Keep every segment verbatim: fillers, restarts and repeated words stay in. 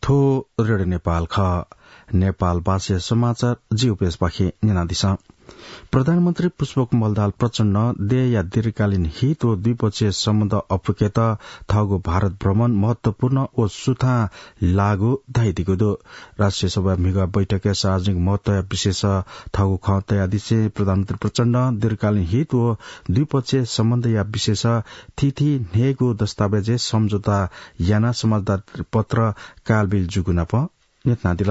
थ्व रेडियो नेपाल खः। नेपाल भाषाया समाचार जिउपेशपाखे न्यनादिसँ। प्रधानमन्त्री पुष्पकमल दाहाल प्रचण्डं देय्‌या दीर्घकालीन हित व द्विपक्षीय सम्बन्ध अप्वय्‌केत थःगु भारत भ्रमण महत्वपूर्ण व सुथां लाःगु धयादीगु दु। राष्ट्रिय सभा म्हिगः बैठकय् सार्वजनिक महत्वया विषयस थःगु खँ तयादिसें प्रधानमन्त्री प्रचण्डं दीर्घकालीन हित व द्विपक्षीय सम्बन्धया विषयस थीथी न्हय्‌गू दस्तावेजय् सम्झौता यानाः समाचार पत्र कालबिल जूगु नाप न्ह्यथनादिल।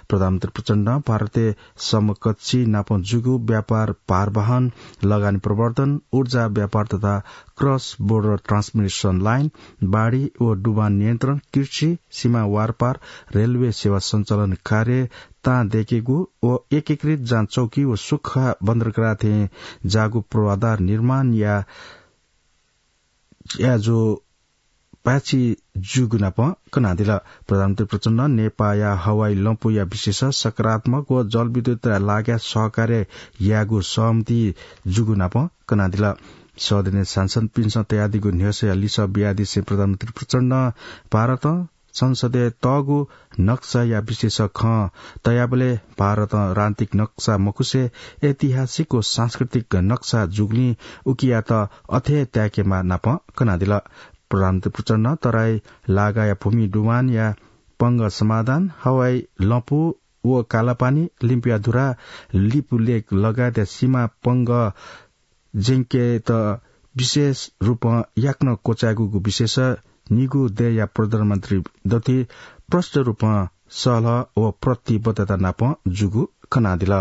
प्रधानमन्त्री प्रचण्डं भारतय् समकक्षी नाप जूगु व्यापार, भारवहन, लगानी प्रवर्धन, ऊर्जा व्यापार तथा cross border transmission line, बाढी व डुबान नियन्त्रण, कृषि, सीमा वारपार, रेलवे सेवा सञ्चालन कार्य तां दय्‌केगु व एकीकृत जाँच चौकी व सुख्खा बन्दरगाह थें जाःगु पूर्वाधार निर्माणया ज्याझ्वः पाय्‌छि जूगु नाप कनादिल। प्रधानमन्त्री प्रचण्डं नेपाःया हवाई लँपुया विषयस सकारात्मक व जलविद्युतया लागाय् सहकार्य यायेगु सहमति जूगु नाप कनादिल। सदनय् सांसदपिन्सं तयादीगु न्ह्यसःया लिसः बियादिसें प्रधानमन्त्री प्रचण्डं भारतं संसदय् तःगु नक्साया विषयस खँ तयाबलय् भारतं राजनीतिक नक्सा मखुसे ऐतिहासिक व सांस्कृतिक नक्सा जूगुलिं उकियात अथे ताय्‌केमाः नाप कनादिल। प्रधानमन्त्री प्रचण्डं तराई लागाया भूमि डुबानया पंगः समाधान, हवाई लँपु व कालापानी, लिम्पियाधुरा, लिपु लेक लगायतया सीमा पंगः ज्यंकेत विशेष रूपं याकनं क्वचायेगु विषयस निगू देय्‌या प्रधानमन्त्री दथुइ प्रष्ट रूपं सहलह व प्रतिबद्धता नाप जूगु कनादिल।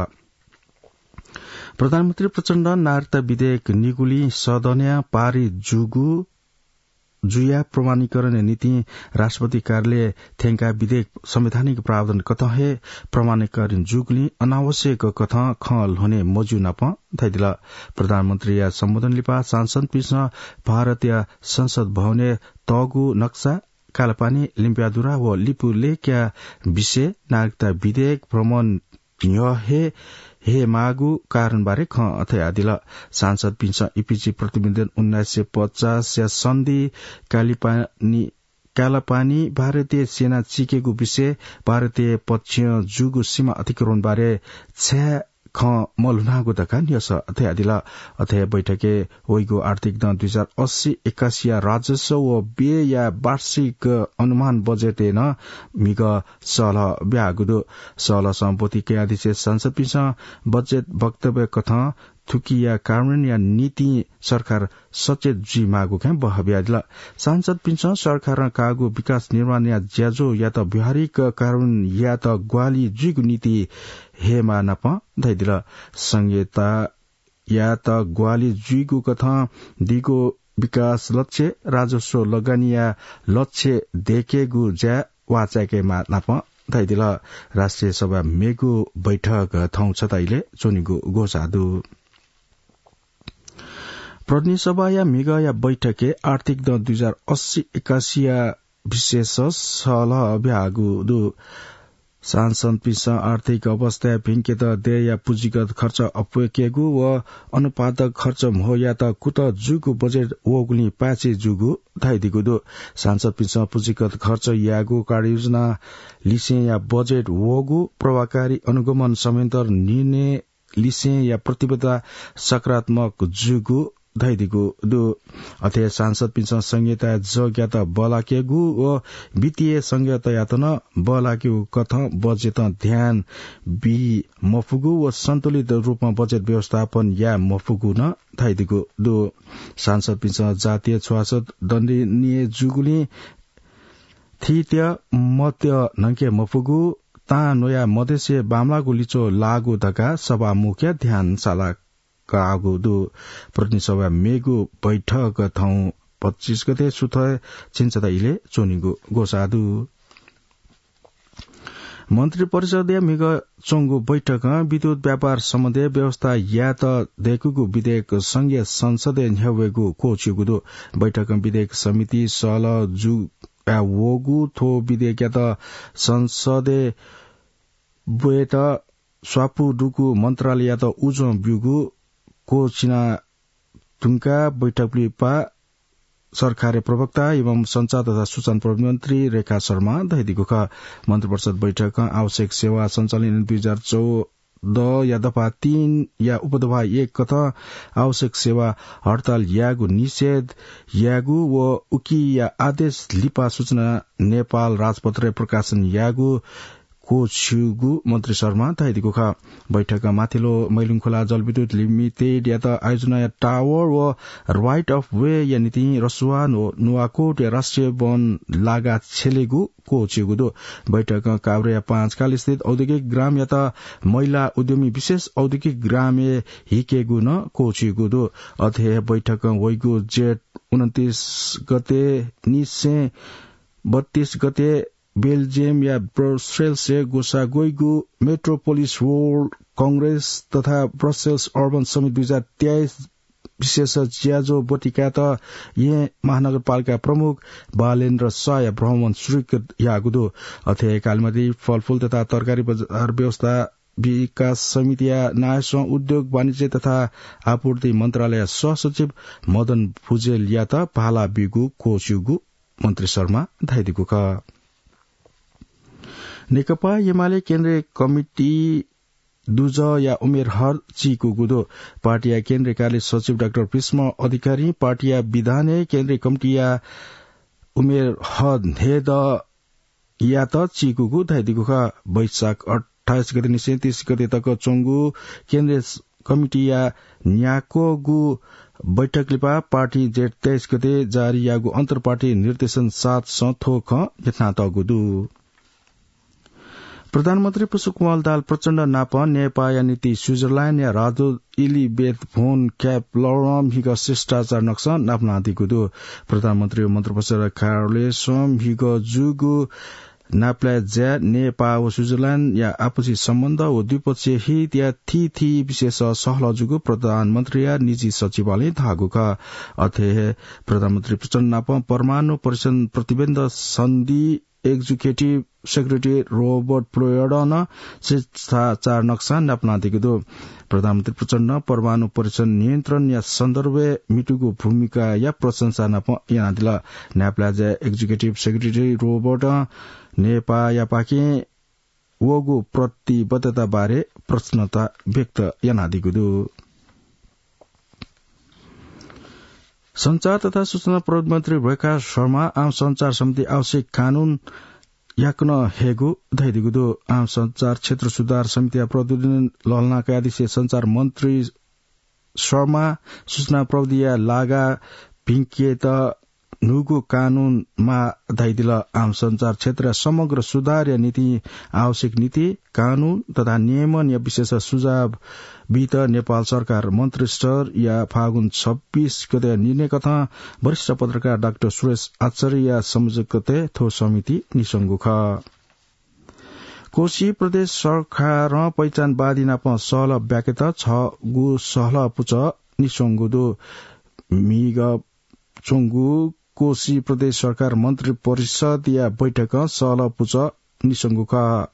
प्रधानमन्त्री प्रचण्डं नागरिकता विधेयक निगुलिं सदनय् पारित जूगु जुयाः प्रमाणीकरणया निंतिं राष्ट्रपति कार्यालय थ्यंकाः विधेयक संवैधानिक प्रावधान कथं हे प्रमाणीकरण जूगुलिं अनावश्यक कथं खँ ल्ह्वने मज्यू नाप धयादिल। प्रधानमन्त्रीया सम्बोधन लिपा सांसदपिन्सं भारतया संसद भवनय् तःगु नक्सा, कालापानी, लिम्पियाधुरा व लिपु लेकया विषय, नागरिकता विधेयक, भ्रमण न्ह्यः हे, हे माःगु कारणबारे खँ धयादिल। सांसदपिन्सं इपिजि प्रतिवेदन उन्नाइस सय पचासया सन्धि कालिपानी, कालापानी भारतीय सेना चिकेगु विषय, भारतीय पक्षं जूगु सीमा अतिक्रमणबारे छाय् खँ मल्हुनागु धकाः न्ह्यसः धयादिल। अथे बैठकय् वइगु आर्थिक दँ दुई हजार अस्सी एकासीया राजस्व व व्ययया वार्षिक अनुमान बजेटय् नं म्हिगः सहलह ब्याःगु दु। सहलहसं ब्वति कयादिसें सांसदपिन्सं बजेट वक्तव्य कथं थुकिया कार्यान्वयनया निंतिं सरकार सचेत जुइमाःगु खँ बहबियादिल। सांसदपिन्सं सरकारं काःगु विकास निर्माणया ज्याझ्वःयात व्यावहारिक कार्यान्वयन यायेत ग्वाहालि जुइगु निंतिं हयेमाः नाप धयादिल। संघीयता यात ग्वाहालि जुइगु कथं दीगु विकास लक्ष्य, राजस्व लगानीया लक्ष्य दय्‌केगु ज्या वाःचाय्‌केमाः नाप धयादिल। राष्ट्रिय सभा मेगु बैठक थौं छता इलय् च्वनीगु ग्वसाः दु। प्रतिनिधि सभाया म्हिगःया बैठकय् आर्थिक दँ दुई हजार अस्सी एकासीया विषयस सहलह ब्याःगु दु। सांसदपिन्सं आर्थिक अवस्थाय् भिंकेत देय्‌या पुँजीगत खर्च अप्वय्‌केगु व अनुत्पादक खर्च म्हो यायेत कुतः जूगु बजेट वःगुलिं पाय्‌छि जूगु धयादीगु दु। सांसदपिन्सं पुँजीगत खर्च यायेगु कार्ययोजना लिसेंया बजेट वःगु, प्रभावकारी अनुगमन समयन्तर निर्णय लिसेंया प्रतिबद्धता सकारात्मक जूगु धयादीगु दु। अथे सांसदपिन्सं संघीयताया जगयात बल्लाकेगु व वित्तीय संघीयतायात नं बल्लाकेगु कथं बजेटं ध्यान बी मफुगु व सन्तुलित रूपमा बजेट व्यवस्थापन याये मफुगु नं धयादीगु दु। सांसदपिन्सं जातीय छुवाछुत दण्डनीय जूगुलिं थीथी मत न्हंके मफुगु, तां न्वया मदेसे बांमलाःगु लिच्वः लाःगु धकाः सभामुखया ध्यान साला काःगु दु। प्रतिनिधि सभा मेगु बैठक थौं पच्चिस गते सुथय् झिंछता इलय् च्वनीगु ग्वसाः दु। मन्त्रिपरिषदया म्हिगः च्वंगु बैठकं विद्युत व्यापार सम्बन्धी व्यवस्था यायेत दय्‌कूगु विधेयक संघीय संसदय् न्ह्यावयेगु क्वःछिउगु दु। बैठकं विधेयक समिति सहलह जुया वःगु थ्व विधेयकयात संसदय् ब्वयेत स्वापू दुगु मन्त्रालययात उजं ब्यूगु क्वःछिना धुंकाः बैठक लिपा सरकारया प्रवक्ता एवं संचार तथा सूचना प्रविधि मन्त्री रेखा शर्मा धयादीगु खः। मन्त्रिपरिषद बैठकं आवश्यक सेवा सञ्चालन दुई हजार चौध या दफा तीन या उपदफा एक कथं आवश्यक सेवा हडताल यायेगु निषेध यायेगु व उकिया आदेश लिपा सूचना नेपाल राजपत्रय् प्रकाशन यायेगु क्वःछिउगु मन्त्री शर्मा धयादीगु खः। बैठकं माथिल्लो मैलुङखोला जलविद्युत लिमिटेडयात आयोजनाया टावर व right of way या निंतिं रसुवा व नुवाकोटया राष्ट्रिय वन लागा छ्यलेगु क्वःछिउगु दु। बैठकं काभ्रेया पाँचखाल स्थित औद्योगिक ग्रामयात महिला उद्यमी विशेष औद्योगिक ग्रामय् हिकेगु नं क्वःछिउगु दु। अथे हे बैठकं वइगु जेठ उनन्तीस गते निसें बत्तीस गते बेल्जियमया ब्रसेल्सय् ग्वसाः ग्वइगु मेट्रोपोलिस वर्ल्ड कंग्रेस तथा ब्रसेल्स अर्बन समिट दुई हजार तेइस विशेष ज्याझ्वः ब्वति कायेत येँ महानगरपालिका प्रमुख बालेन्द्र साहया भ्रमण स्वीकृत याःगु दु। अथे हे कालिमाटी फलफूल तथा तरकारी बजार व्यवस्था विकास समितिया नायःसं उद्योग वाणिज्य तथा आपूर्ति मन्त्रालय सहसचिव मदन भुजेलयात भाला बीगु क्वःछिउगु मन्त्री शर्मा धयादीगु खः। नेकपा एमाले केन्द्रीय कमिटी दुजःया उमेर हद चीकूगु दु। पार्टीया केन्द्रीय कार्यालय सचिव डाक्टर भीष्म अधिकारीं पार्टीया विधानय् केन्द्रीय कमिटीया उमेर हद न्हय्दँयात चीकूगु धयादीगु खः। वैशाख अट्ठाइस गते निसें तीस गते तक च्वंगु केन्द्रीय कमिटीया न्याक्वःगु बैठक लिपा पार्टीं जेठ तेइस गते जारी याःगु अन्तर्पार्टी निर्देशन सातसं थ्व खँ न्ह्यथनातःगु दु। प्रधानमन्त्री पुष्पकमल दाहाल प्रचण्ड नाप नेपाःया निंतिं स्विजरल्याण्डया राजदूत इलिबेथ भोन क्यापलरं म्हिगः शिष्टाचार नकसं नापलानादीगु दु। प्रधानमन्त्री व मन्त्रिपरिषद कार्यालयसं म्हिगः जूगु नापलाये ज्याय् नेपाः व स्विजरल्याण्डया आपसी सम्बन्ध व द्विपक्षीय हितया थीथी विषयस सहलह जूगु प्रधानमन्त्रीया निजी सचिवालयं धाःगु खः। अथे हे प्रधानमन्त्री प्रचण्ड नाप परमाणु परिक्षण प्रतिबन्ध सन्धि एक्जिक्युटिभ सेक्रेटरी रोबर्ट प्लोयडं नं शिष्टाचार नकसं नापलानादीगु दु। प्रधानमन्त्री प्रचण्डं परमाणु परीक्षण नियन्त्रणया सन्दर्भय् म्हितूगु भूमिकाया प्रशंसा नाप यानादिल। नापलाये ज्याय् एक्जिक्युटिभ सेक्रेटरी रोबर्टं नेपाःयापाखें वःगु प्रतिबद्धता बारे प्रसन्नता व्यक्त यानादीगु दु। सञ्चार तथा सूचना प्रविधि मन्त्री रेखा शर्मा आम सञ्चार समिति आवश्यक कानून याकनं हयेगु धयादीगु दु। आम सञ्चार क्षेत्र सुधार समितिया प्रतिवेदन लहलनाकया दिसे सञ्चार मन्त्री शर्मा सूचना प्रविधिया लागा भिंकेत न्हूगु कानून माः धयादिल। आम सञ्चार क्षेत्रया समग्र सुधारया निंतिं आवश्यक नीति, कानून तथा नियमनया विषयस सुझाव बीत नेपाल सरकार मन्त्रिस्तरया फागुन छब्बीस गते निर्णय कथं वरिष्ठ पत्रकार डाक्टर सुरेश आचार्यया संयोजकत्वय् थ्व समिति निस्वंगु खः। कोशी प्रदेश सरकारं पहिचानवादी नाप सहलह ब्याकेत छगू सहलह पुचः निस्वंगु दु। म्हिगः च्वंगु कोशी प्रदेश सरकार मन्त्री परिषदया बैठकं सहलह पुचः निस्वंगु खः।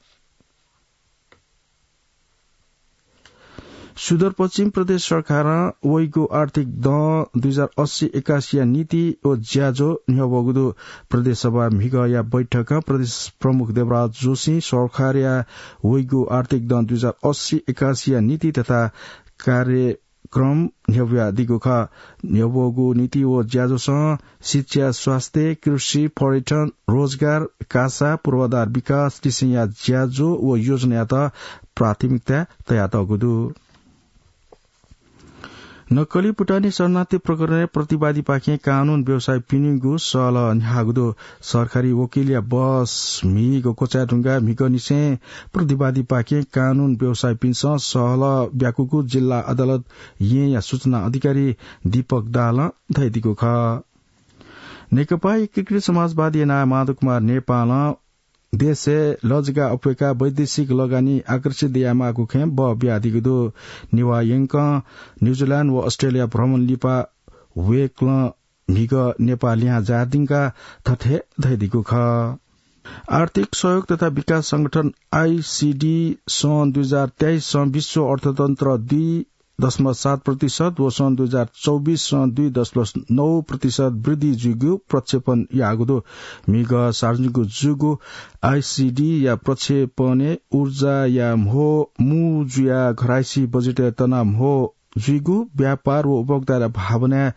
सुदूरपश्चिम प्रदेश सरकारं वइगु आर्थिक दँ दुई हजार अस्सी एकासीया नीति व ज्याझ्वः न्ह्यब्वःगु दु। प्रदेश सभा म्हिगःया बैठकं प्रदेश प्रमुख देवराज जोशीं सरकारया वइगु आर्थिक दँ दुई हजार अस्सी एकासीया नीति तथा कार्य क्रम न्ह्यब्वयादीगु खः। न्ह्यब्वःगु नीति व ज्याझ्वलं शिक्षा, स्वास्थ्य, कृषि, पर्यटन, रोजगार, कासा, पूर्वाधार विकास लिसेंया ज्याझ्वः व योजनायात प्राथमिकता तयातःगु दु। नक्कली भुटानी शरणार्थी प्रकरणय् प्रतिवादीपाखें कानून व्यवसायीपिनिगु सहलह न्ह्याःगु दु। सरकारी वकिलया बस म्हिगः क्वचायेधुंकाः म्हिगःनिसें प्रतिवादीपाखें कानून व्यवसायीपिन्सं सहलह ब्याकूगु जिल्ला अदालत येँया सूचना अधिकारी दीपक दाहालं धयादीगु खः। नेकपा एकीकृत समाजवादी एनआए माधव कुमार नेपालं देशय् लजगाः अप्वय्काः वैदेशिक लगानी आकर्षित यायेमाःगु खँय् बः बियादीगु दु। नेवाः यंकं न्यूजिल्याण्ड व अस्ट्रेलिया भ्रमण लिपा वय्कलं म्हिगः नेपाः लिहां झायादीधुंकाः थथे धयादीगु खः। आर्थिक सहयोग तथा विकास संगठन आइसिडी सं दुई हजार तेइसं विश्व अर्थतन्त्र दुई दशमलव सात प्रतिशत व सन् दुई हजार चौबिस सं दुई दशमलव नौ प्रतिशत वृद्धि जुइगु प्रक्षेपण याःगु दु। म्हिगः सार्वजनिक जूगु आइसिडीया प्रक्षेपणय् ऊर्जाया म्हो मू जुया घरायसी बजेटय् तना म्हो जुइगु, व्यापार व उपभोक्ताया भावनाय्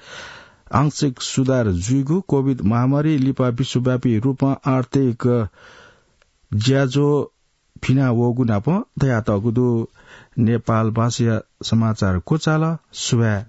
आंशिक सुधार जुइगु, कोभिड महामारी लिपा विश्वव्यापी रूपं आर्थिक ज्याझ्वः फिना वःगु नाप धयातःगु दु। नेपाल भाषाया समाचार क्वचाल। सुभाय्।